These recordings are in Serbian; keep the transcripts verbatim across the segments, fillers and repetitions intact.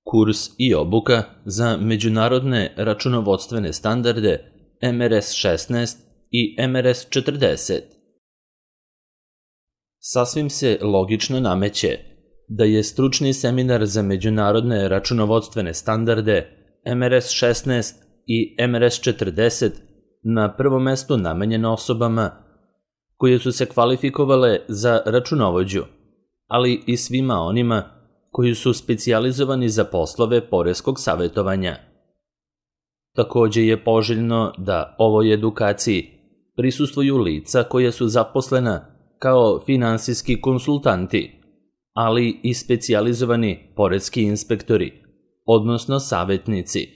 Kurs i obuka za međunarodne računovodstvene standarde M R S šesnaest i M R S četrdeset. Sasvim se logično nameće da je stručni seminar za međunarodne računovodstvene standarde M R S šesnaest i M R S četrdeset na prvom mestu namenjen osobama koje su se kvalifikovale za računovođu, ali i svima onima koji su specijalizovani za poslove poreskog savjetovanja. Takođe je poželjno da ovoj edukaciji prisustvuju lica koja su zaposlena kao finansijski konsultanti, ali i specijalizovani poreski inspektori, odnosno savjetnici,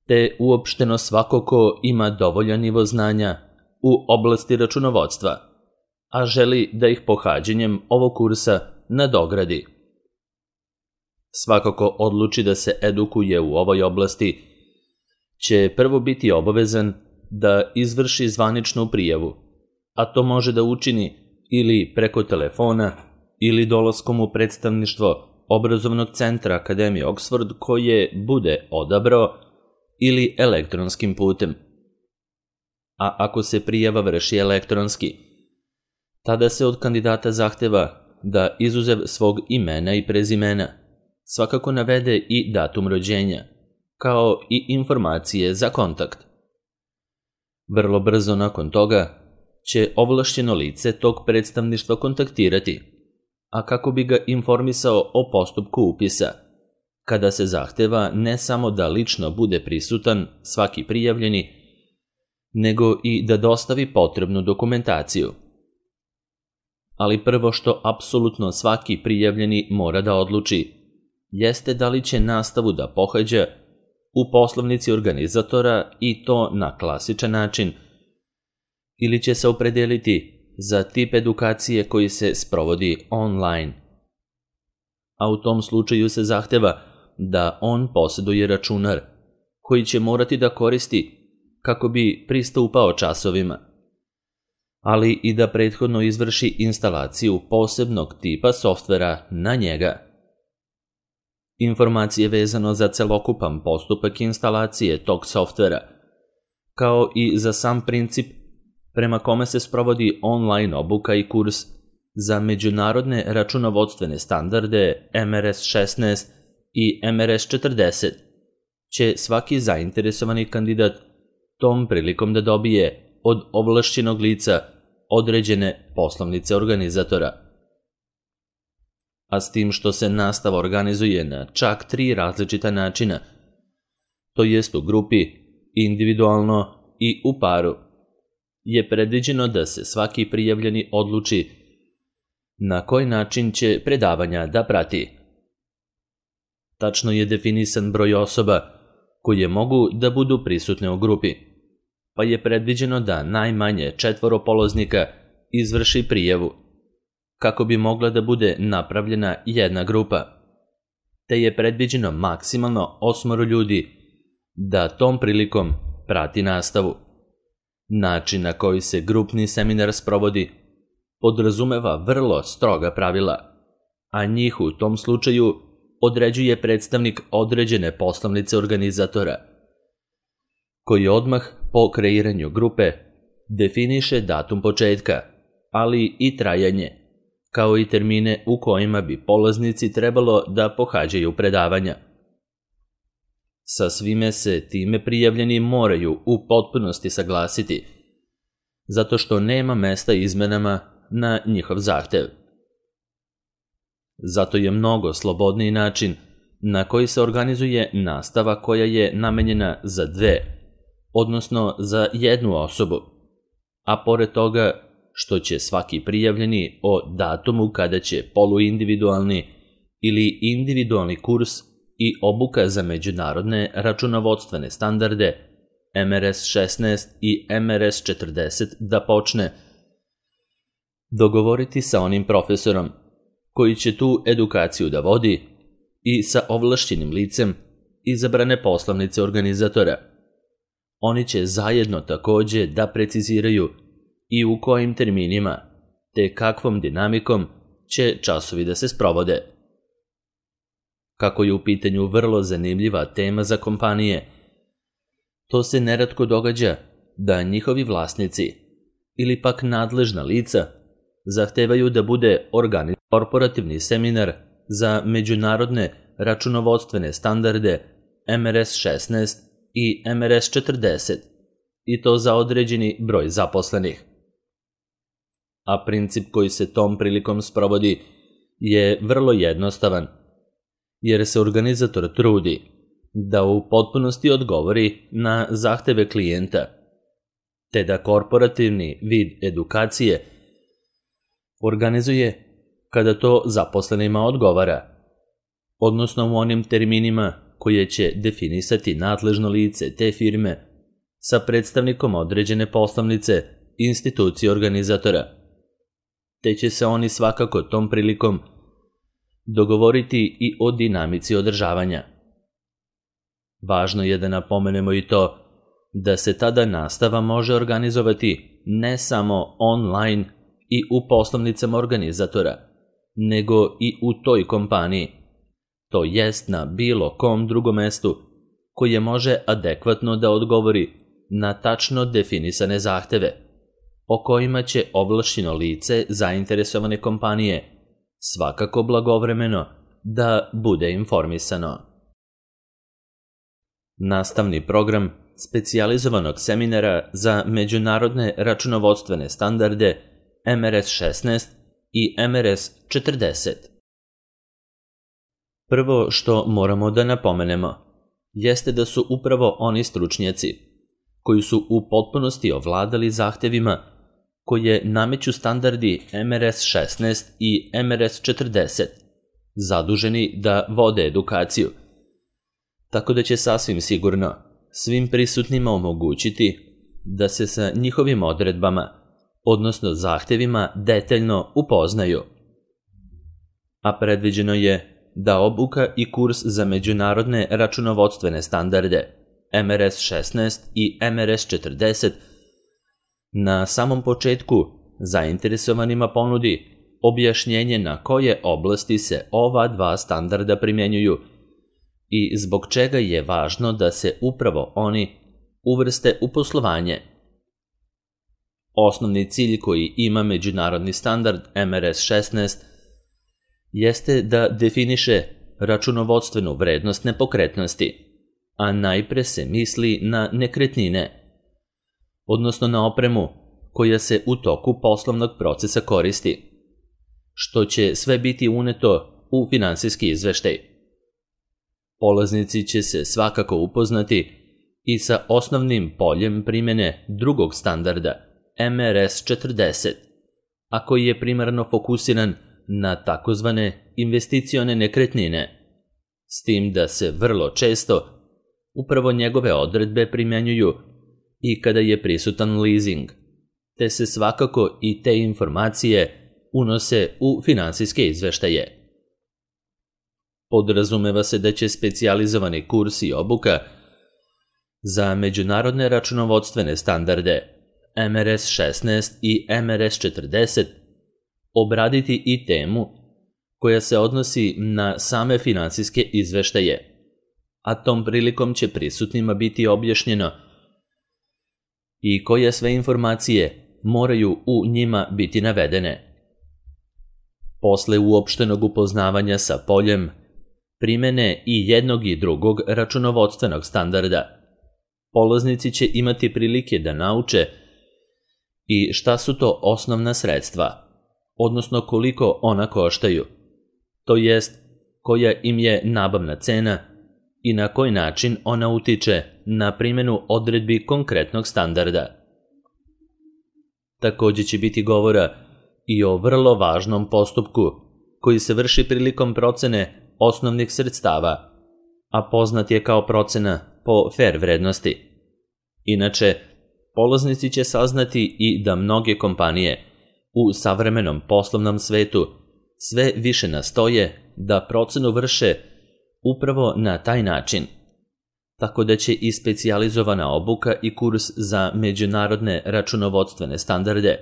te uopšteno svako ko ima dovoljan nivo znanja u oblasti računovodstva, a želi da ih pohađanjem ovog kursa nadogradi. Svako ko odluči da se edukuje u ovoj oblasti će prvo biti obavezan da izvrši zvaničnu prijavu, a to može da učini ili preko telefona ili dolaskom u predstavništvo obrazovnog centra Akademije Oxford koje bude odabrao ili elektronskim putem. A ako se prijava vrši elektronski, tada se od kandidata zahteva da izuzev svog imena i prezimena svakako navede i datum rođenja, kao i informacije za kontakt. Vrlo brzo nakon toga će ovlašćeno lice tog predstavništva kontaktirati, a kako bi ga informisao o postupku upisa, kada se zahteva ne samo da lično bude prisutan svaki prijavljeni, nego i da dostavi potrebnu dokumentaciju. Ali prvo što apsolutno svaki prijavljeni mora da odluči jeste da li će nastavu da pohađa u poslovnici organizatora i to na klasičan način, ili će se opredeliti za tip edukacije koji se sprovodi online. A u tom slučaju se zahteva da on posjeduje računar koji će morati da koristi kako bi pristupao časovima, ali i da prethodno izvrši instalaciju posebnog tipa softvera na njega. Informacije vezano za celokupan postupak instalacije tog softvera, kao i za sam princip prema kome se sprovodi online obuka i kurs za međunarodne računovodstvene standarde M R S šesnaest i M R S četrdeset, će svaki zainteresovani kandidat tom prilikom da dobije od ovlašćenog lica određene poslovnice organizatora. A s tim što se nastava organizuje na čak tri različita načina, to jest u grupi, individualno i u paru, je predviđeno da se svaki prijavljeni odluči na koji način će predavanja da prati. Tačno je definisan broj osoba koje mogu da budu prisutne u grupi, pa je predviđeno da najmanje četvoro polaznika izvrši prijavu, kako bi mogla da bude napravljena jedna grupa, te je predviđeno maksimalno osmoro ljudi da tom prilikom prati nastavu. Način na koji se grupni seminar sprovodi podrazumeva vrlo stroga pravila, a njih u tom slučaju određuje predstavnik određene poslovnice organizatora, koji odmah po kreiranju grupe definiše datum početka, ali i trajanje, kao i termine u kojima bi polaznici trebalo da pohađaju predavanja. Sa svime se time prijavljeni moraju u potpunosti saglasiti, zato što nema mesta izmenama na njihov zahtev. Zato je mnogo slobodniji način na koji se organizuje nastava koja je namenjena za dve, odnosno za jednu osobu, a pored toga što će svaki prijavljeni o datumu kada će poluindividualni ili individualni kurs i obuka za međunarodne računovodstvene standarde M R S šesnaest i M R S četrdeset da počne, dogovoriti sa onim profesorom koji će tu edukaciju da vodi i sa ovlašćenim licem izabrane poslovnice organizatora. Oni će zajedno takođe da preciziraju i u kojim terminima, te kakvom dinamikom će časovi da se sprovode. kako je u pitanju vrlo zanimljiva tema za kompanije, to se neretko događa da njihovi vlasnici ili pak nadležna lica zahtevaju da bude organizovan korporativni seminar za međunarodne računovodstvene standarde M R S šesnaest i M R S četrdeset, i to za određeni broj zaposlenih. A princip koji se tom prilikom sprovodi je vrlo jednostavan, jer se organizator trudi da u potpunosti odgovori na zahteve klijenta, te da korporativni vid edukacije organizuje kada to zaposlenima odgovara, odnosno u onim terminima koje će definisati nadležno lice te firme sa predstavnikom određene poslovnice institucije organizatora, te će se oni svakako tom prilikom dogovoriti i o dinamici održavanja. Važno je da napomenemo i to da se tada nastava može organizovati ne samo online i u poslovnicama organizatora, nego i u toj kompaniji, to jest na bilo kom drugom mestu koje može adekvatno da odgovori na tačno definisane zahteve, o kojima će ovlašćeno lice zainteresovane kompanije svakako blagovremeno da bude informisano. Nastavni program specijalizovanog seminara za međunarodne računovodstvene standarde M R S šesnaest i M R S četrdeset. Prvo što moramo da napomenemo jeste da su upravo oni stručnjaci koji su u potpunosti ovladali zahtevima koje nameću standardi M R S šesnaest i M R S četrdeset, zaduženi da vode edukaciju, tako da će sasvim sigurno svim prisutnima omogućiti da se sa njihovim odredbama, odnosno zahtevima, detaljno upoznaju. A predviđeno je da obuka i kurs za međunarodne računovodstvene standarde M R S šesnaest i M R S četrdeset na samom početku zainteresovanima ponudi objašnjenje na koje oblasti se ova dva standarda primjenjuju i zbog čega je važno da se upravo oni uvrste u poslovanje. Osnovni cilj koji ima međunarodni standard M R S šesnaest jeste da definiše računovodstvenu vrednost nepokretnosti, a najpre se misli na nekretnine, odnosno na opremu koja se u toku poslovnog procesa koristi, što će sve biti uneto u finansijski izveštaj. Polaznici će se svakako upoznati i sa osnovnim poljem primjene drugog standarda M R S četrdeset, a koji je primarno fokusiran na takozvane investicione nekretnine, s tim da se vrlo često upravo njegove odredbe primjenjuju i kada je prisutan leasing, te se svakako i te informacije unose u finansijske izveštaje. Podrazumeva se da će specijalizovani kurs i obuka za međunarodne računovodstvene standarde M R S šesnaest i M R S četrdeset obraditi i temu koja se odnosi na same finansijske izveštaje, a tom prilikom će prisutnima biti objašnjeno i koje sve informacije moraju u njima biti navedene. Posle uopštenog upoznavanja sa poljem primene i jednog i drugog računovodstvenog standarda, polaznici će imati prilike da nauče i šta su to osnovna sredstva, odnosno koliko ona koštaju, to jest koja im je nabavna cena i na koji način ona utiče na primjenu odredbi konkretnog standarda. Takođe će biti govora i o vrlo važnom postupku koji se vrši prilikom procene osnovnih sredstava, a poznat je kao procena po fer vrednosti. Inače, polaznici će saznati i da mnoge kompanije u savremenom poslovnom svetu sve više nastoje da procenu vrše upravo na taj način, tako da će i specijalizovana obuka i kurs za međunarodne računovodstvene standarde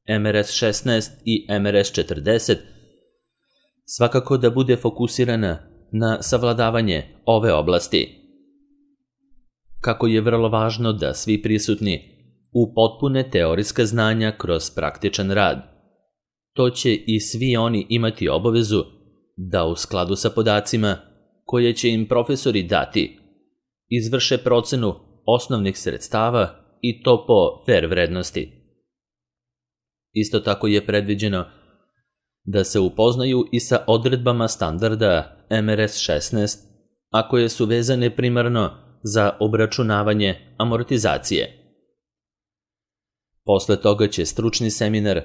M R S šesnaest i M R S četrdeset svakako da bude fokusirana na savladavanje ove oblasti. Kako je vrlo važno da svi prisutni upotpune teorijska znanja kroz praktičan rad, to će i svi oni imati obavezu da u skladu sa podacima koje će im profesori dati izvrše procenu osnovnih sredstava i to po fer vrednosti. Isto tako je predviđeno da se upoznaju i sa odredbama standarda M R S šesnaest, a koje su vezane primarno za obračunavanje amortizacije. Posle toga će stručni seminar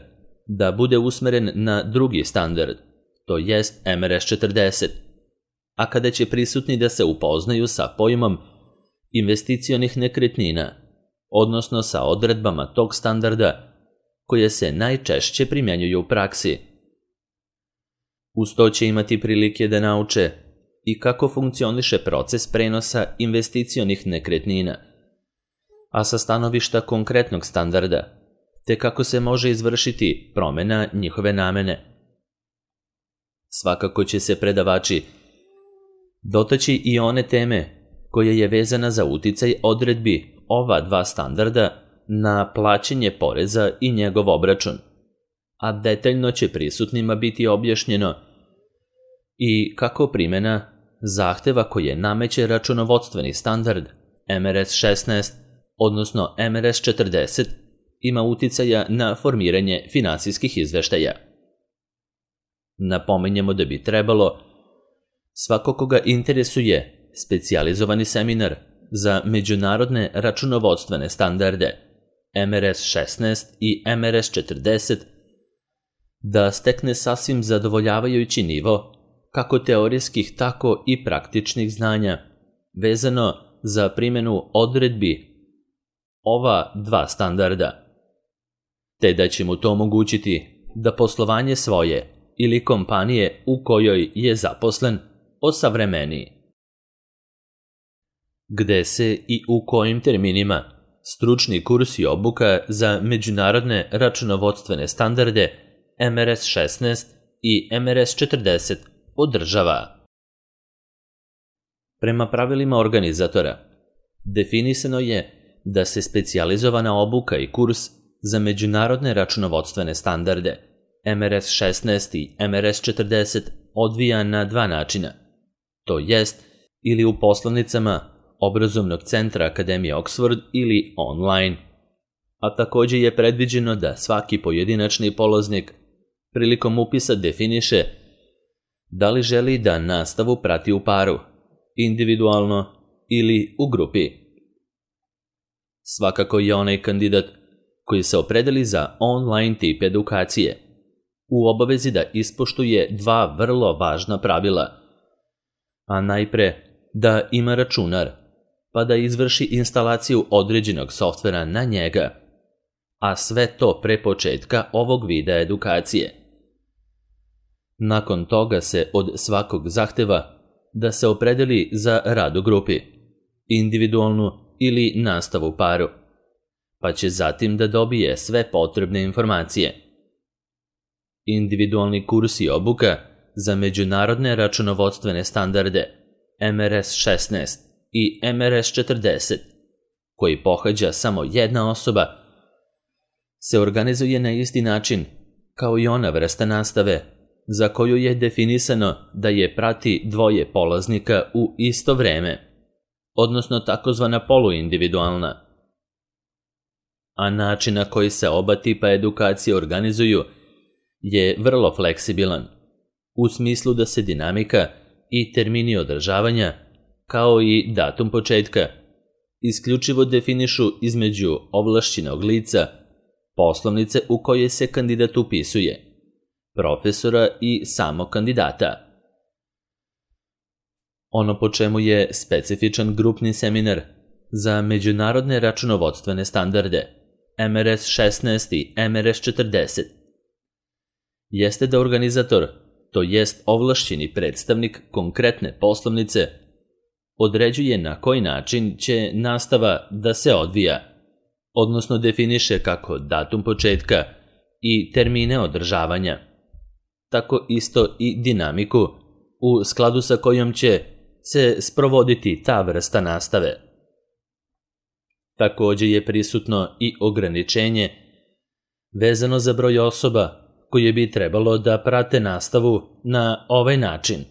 da bude usmeren na drugi standard, to jest M R S četrdeset, a kada će prisutni da se upoznaju sa pojmom investicionih nekretnina, odnosno sa odredbama tog standarda koje se najčešće primjenjuju u praksi. Uz to će imati prilike da nauče i kako funkcioniše proces prenosa investicionih nekretnina, a sa stanovišta konkretnog standarda, te kako se može izvršiti promena njihove namene. Svakako će se predavači dotaći i one teme koje je vezana za uticaj odredbi ova dva standarda na plaćanje poreza i njegov obračun, a detaljno će prisutnima biti objašnjeno i kako primjena zahteva koje nameće računovodstveni standard M R S šesnaest, odnosno M R S četrdeset, ima uticaja na formiranje finansijskih izveštaja. Napominjemo da bi trebalo svako koga interesuje specijalizovani seminar za međunarodne računovodstvene standarde M R S šesnaest i M R S četrdeset da stekne sasvim zadovoljavajući nivo kako teorijskih, tako i praktičnih znanja vezano za primjenu odredbi ova dva standarda, te da će mu to omogućiti da poslovanje svoje ili kompanije u kojoj je zaposlen osavremeniji. Gde se i u kojim terminima stručni kurs i obuka za međunarodne računovodstvene standarde M R S šesnaest i M R S četrdeset održava. Prema pravilima organizatora, definisano je da se specijalizovana obuka i kurs za međunarodne računovodstvene standarde M R S šesnaest i M R S četrdeset odvija na dva načina, to jest ili u poslovnicama Obrazovnog centra Akademije Oxford ili online, a također je predviđeno da svaki pojedinačni polaznik prilikom upisa definiše da li želi da nastavu prati u paru, individualno ili u grupi. Svakako je onaj kandidat koji se opredeli za online tip edukacije u obavezi da ispoštuje dva vrlo važna pravila, a najpre da ima računar, pa da izvrši instalaciju određenog softvera na njega, a sve to pre početka ovog videa edukacije. Nakon toga se od svakog zahteva da se opredeli za rad u grupi, individualnu ili nastavu paru, pa će zatim da dobije sve potrebne informacije. Individualni kurs i obuka za međunarodne računovodstvene standarde M R S šesnaest i M R S četrdeset, koji pohađa samo jedna osoba, se organizuje na isti način kao i ona vrsta nastave za koju je definisano da je prati dvoje polaznika u isto vreme, odnosno takozvana poluindividualna. A način na koji se oba tipa edukacije organizuju je vrlo fleksibilan, u smislu da se dinamika i termini održavanja, kao i datum početka, isključivo definišu između ovlašćenog lica, poslovnice u kojoj se kandidat upisuje, profesora i samog kandidata. Ono po čemu je specifičan grupni seminar za međunarodne računovodstvene standarde M R S šesnaest i M R S četrdeset jeste da organizator, to jest ovlašćeni predstavnik konkretne poslovnice, određuje na koji način će nastava da se odvija, odnosno definiše kako datum početka i termine održavanja, tako isto i dinamiku u skladu sa kojom će se sprovoditi ta vrsta nastave. Također je prisutno i ograničenje vezano za broj osoba koje bi trebalo da prate nastavu na ovaj način,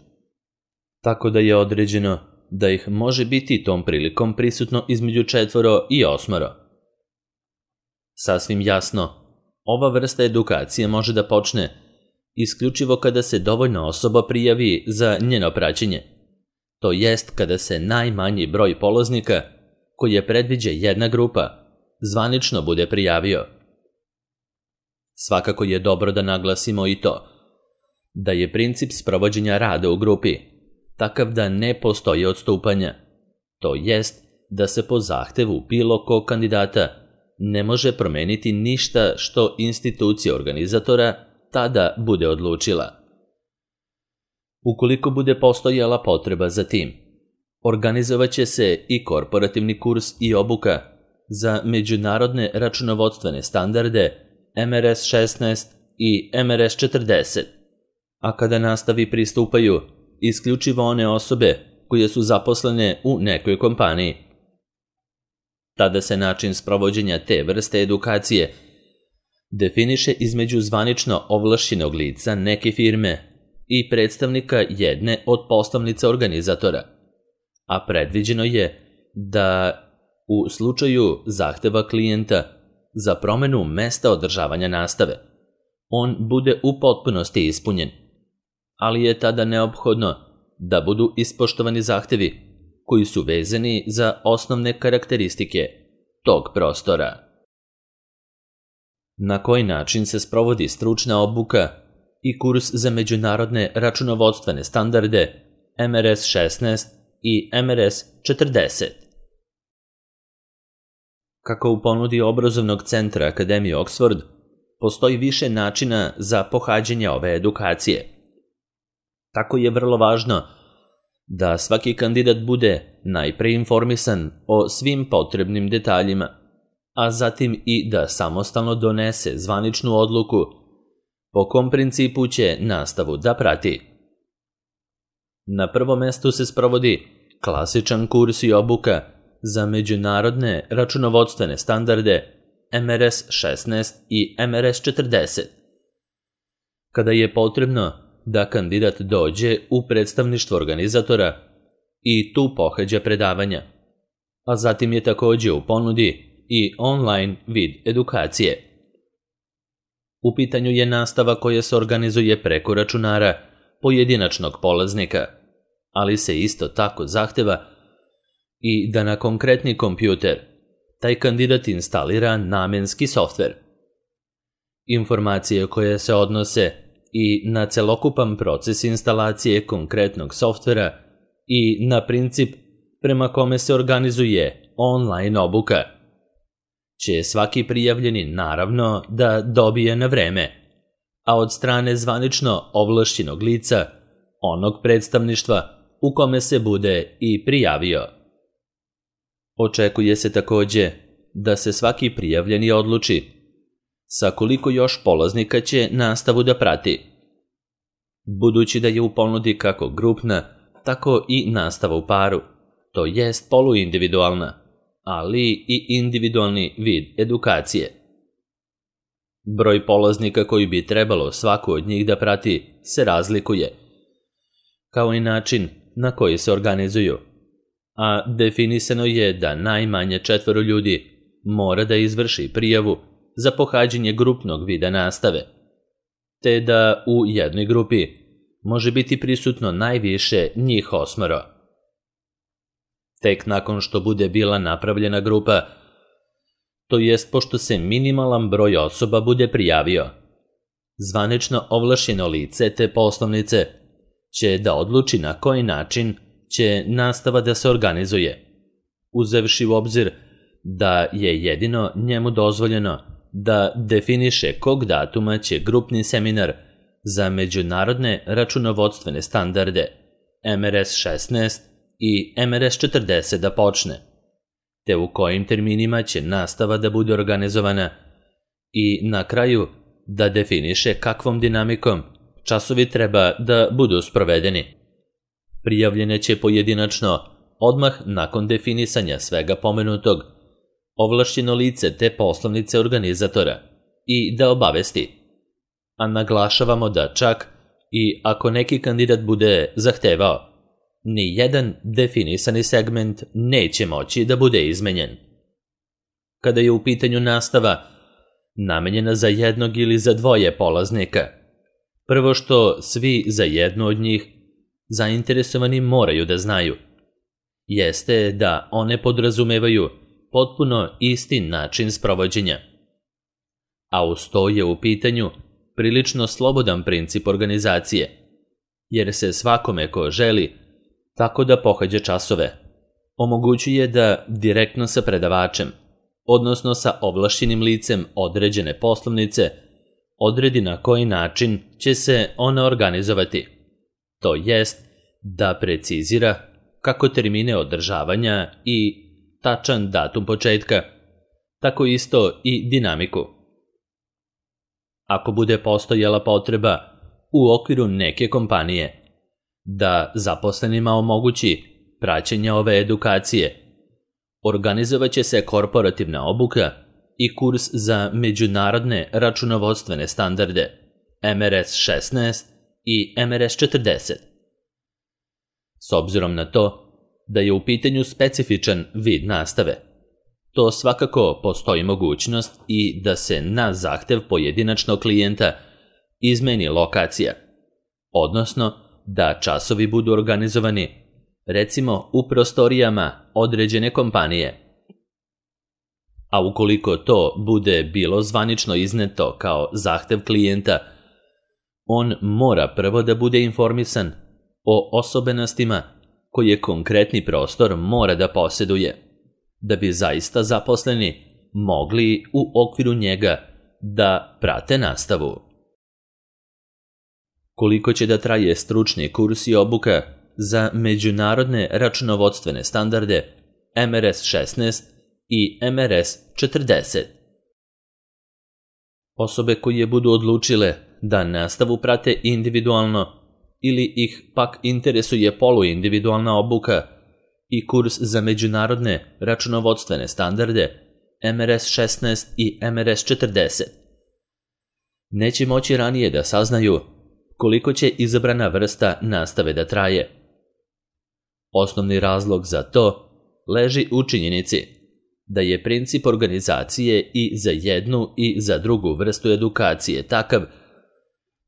tako da je određeno da ih može biti tom prilikom prisutno između četvoro i osmoro. Sasvim jasno, ova vrsta edukacije može da počne isključivo kada se dovoljno osoba prijavi za njeno praćenje, to jest kada se najmanji broj polaznika, koji je predviđa jedna grupa, zvanično bude prijavio. Svakako je dobro da naglasimo i to, da je princip sprovođenja rada u grupi takav da ne postoji odstupanja, to jest da se po zahtevu bilo kog kandidata ne može promeniti ništa što institucija organizatora tada bude odlučila. Ukoliko bude postojala potreba za tim, organizovaće se i korporativni kurs i obuka za međunarodne računovodstvene standarde M R S šesnaest i M R S četrdeset, a kada nastavi pristupaju isključivo one osobe koje su zaposlene u nekoj kompaniji. Tada se način sprovođenja te vrste edukacije definiše između zvanično ovlašćenog lica neke firme i predstavnika jedne od postavnica organizatora, a predviđeno je da u slučaju zahteva klijenta za promenu mesta održavanja nastave, on bude u potpunosti ispunjen, ali je tada neophodno da budu ispoštovani zahtevi koji su vezani za osnovne karakteristike tog prostora. Na koji način se sprovodi stručna obuka i kurs za međunarodne računovodstvene standarde M R S šesnaest i M R S četrdeset? Kako u ponudi obrazovnog centra Akademije Oxford, postoji više načina za pohađanje ove edukacije. Tako je vrlo važno da svaki kandidat bude najpre informisan o svim potrebnim detaljima, a zatim i da samostalno donese zvaničnu odluku po kom principu će nastavu da prati. Na prvom mestu se sprovodi klasičan kurs i obuka za međunarodne računovodstvene standarde M R S šesnaest i M R S četrdeset. Kada je potrebno da kandidat dođe u predstavništvo organizatora i tu pohađa predavanja, a zatim je također u ponudi i online vid edukacije. U pitanju je nastava koja se organizuje preko računara pojedinačnog polaznika, ali se isto tako zahteva i da na konkretni kompjuter taj kandidat instalira namenski softver. Informacije koje se odnose i na celokupan proces instalacije konkretnog softvera i na princip prema kome se organizuje online obuka će svaki prijavljeni naravno da dobije na vreme, a od strane zvanično ovlašćenog lica onog predstavništva u kome se bude i prijavio. Očekuje se također da se svaki prijavljeni odluči sa koliko još polaznika će nastavu da prati, budući da je u ponudi kako grupna, tako i nastava u paru, to jest poluindividualna, ali i individualni vid edukacije. Broj polaznika koji bi trebalo svaku od njih da prati se razlikuje, kao i način na koji se organizuju, a definisano je da najmanje četvoro ljudi mora da izvrši prijavu za pohađanje grupnog vida nastave, te da u jednoj grupi može biti prisutno najviše njih osmoro. Tek nakon što bude bila napravljena grupa, to jest pošto se minimalan broj osoba bude prijavio, zvanično ovlašćeno lice te poslovnice će da odluči na koji način će nastava da se organizuje, uzevši u obzir da je jedino njemu dozvoljeno da definiše kog datuma će grupni seminar za međunarodne računovodstvene standarde M R S šesnaest i M R S četrdeset da počne, te u kojim terminima će nastava da bude organizovana i na kraju da definiše kakvom dinamikom časovi treba da budu sprovedeni. Prijavljene će pojedinačno, odmah nakon definisanja svega pomenutog, ovlašćeno lice te poslovnice organizatora i da obavesti. A naglašavamo da čak i ako neki kandidat bude zahtevao, ni jedan definisani segment neće moći da bude izmenjen. Kada je u pitanju nastava namenjena za jednog ili za dvoje polaznika, prvo što svi za jednu od njih zainteresovani moraju da znaju, jeste da one podrazumevaju potpuno isti način sprovođenja. A uz to je u pitanju prilično slobodan princip organizacije, jer se svakome ko želi tako da pohađa časove omogućuje da direktno sa predavačem, odnosno sa ovlašćenim licem određene poslovnice, odredi na koji način će se ona organizovati. To jest da precizira kako termine održavanja i tačan datum početka, tako isto i dinamiku. Ako bude postojala potreba u okviru neke kompanije da zaposlenima omogući praćenje ove edukacije, organizovaće se korporativna obuka i kurs za međunarodne računovodstvene standarde M R S šesnaest i M R S četrdeset. S obzirom na to da je u pitanju specifičan vid nastave, to svakako postoji mogućnost i da se na zahtev pojedinačnog klijenta izmeni lokacija, odnosno da časovi budu organizovani, recimo u prostorijama određene kompanije. A ukoliko to bude bilo zvanično izneto kao zahtev klijenta, on mora prvo da bude informisan o osobenostima koje konkretni prostor mora da posjeduje, da bi zaista zaposleni mogli u okviru njega da prate nastavu. Koliko će da traje stručni kurs i obuka za međunarodne računovodstvene standarde M R S šesnaest i M R S četrdeset? Osobe koje budu odlučile da nastavu prate individualno ili ih pak interesuje poluindividualna obuka i kurs za međunarodne računovodstvene standarde M R S šesnaest i M R S četrdeset, neće moći ranije da saznaju koliko će izabrana vrsta nastave da traje. Osnovni razlog za to leži u činjenici da je princip organizacije i za jednu i za drugu vrstu edukacije takav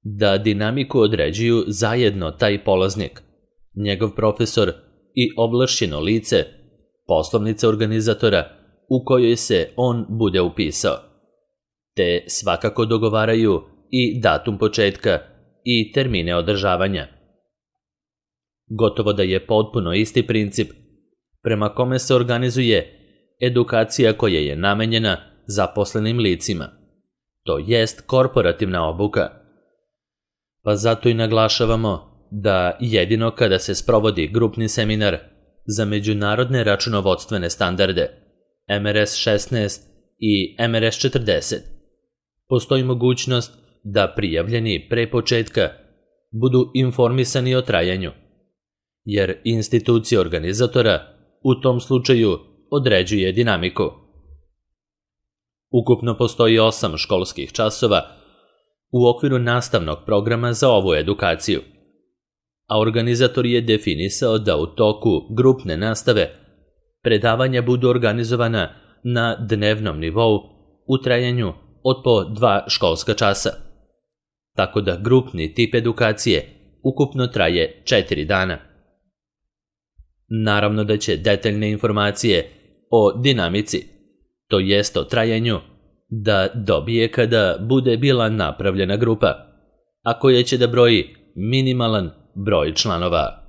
da dinamiku određuju zajedno taj polaznik, njegov profesor i ovlašćeno lice, poslovnica organizatora u kojoj se on bude upisao, te svakako dogovaraju i datum početka i termine održavanja. Gotovo da je potpuno isti princip prema kome se organizuje edukacija koja je namenjena zaposlenim licima, to jest korporativna obuka. Pa zato i naglašavamo da jedino kada se sprovodi grupni seminar za međunarodne računovodstvene standarde M R S šesnaest i M R S četrdeset, postoji mogućnost da prijavljeni pre početka budu informisani o trajanju, jer institucija organizatora u tom slučaju određuje dinamiku. Ukupno postoji osam školskih časova u okviru nastavnog programa za ovu edukaciju, a organizator je definisao da u toku grupne nastave predavanja budu organizovana na dnevnom nivou u trajanju od po dva školska časa, tako da grupni tip edukacije ukupno traje četiri dana. Naravno da će detaljne informacije o dinamici, to jest o trajanju, da dobije kada bude bila napravljena grupa, a koja će da broji minimalan broj članova.